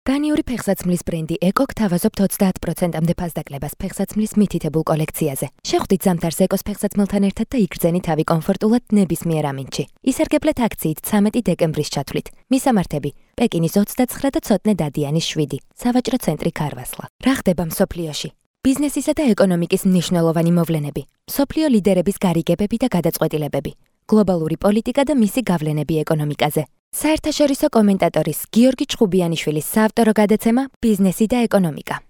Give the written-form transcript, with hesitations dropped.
დანიური ფეხსაცმლის ბრენდი ეკო გთავაზობთ 30%-მდე ფასდაკლებას ფეხსაცმლის მითითებულ კოლექციაზე. შეხვდით ზამთარს ეკოს ფეხსაცმელთან ერთად და იგრძენი თავი კომფორტულად ნებისმიერ ამინდში. ისარგებლეთ აქციით 13 დეკემბრის ჩათვლით. მისამართები: პეკინის 29 და ცოტნე დადიანის 7, სავაჭრო ცენტრი ქარვასლა. რა ხდება მსოფლიოში? ბიზნესისა და ეკონომიკის მნიშვნელოვანი მოვლენები. მსოფლიო ლიდერების გარიგებები და გადაწყვეტილებები. გლობალური პოლიტიკა და მისი გავლენები ეკონომიკაზე. საერთაშორისო კომენტატორის გიორგი ჩხუბიანიშვილის საავტორო გადაცემა „ბიზნესი და ეკონომიკა“.